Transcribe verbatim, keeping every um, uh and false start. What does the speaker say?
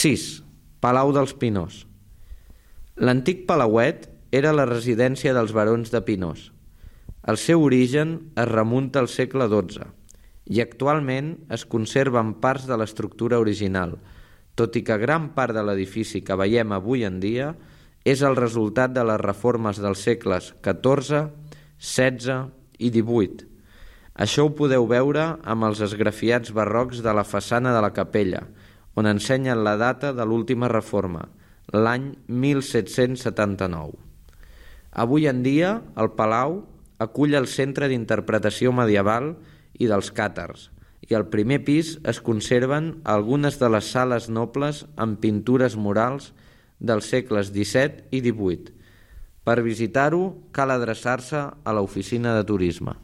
sis. Palau dels Pinós. L'antic Palauet era la residència dels barons de Pinós. El seu origen es remunta al segle dotze i actualment es conserven parts de l'estructura original, tot i que gran part de l'edifici que veiem avui en dia és el resultat de les reformes dels segles catorze, setze i divuit. Això ho podeu veure amb els esgrafiats barrocs de la façana de la capella, on ensenyen la data de l'última reforma, l'any mil set-cents setanta-nou. Avui en dia, el Palau acull el Centre d'Interpretació Medieval i dels Càtars, i al primer pis es conserven algunes de les sales nobles amb pintures murals dels segles disset i divuit. Per visitar-ho cal adreçar-se a l'oficina de turisme.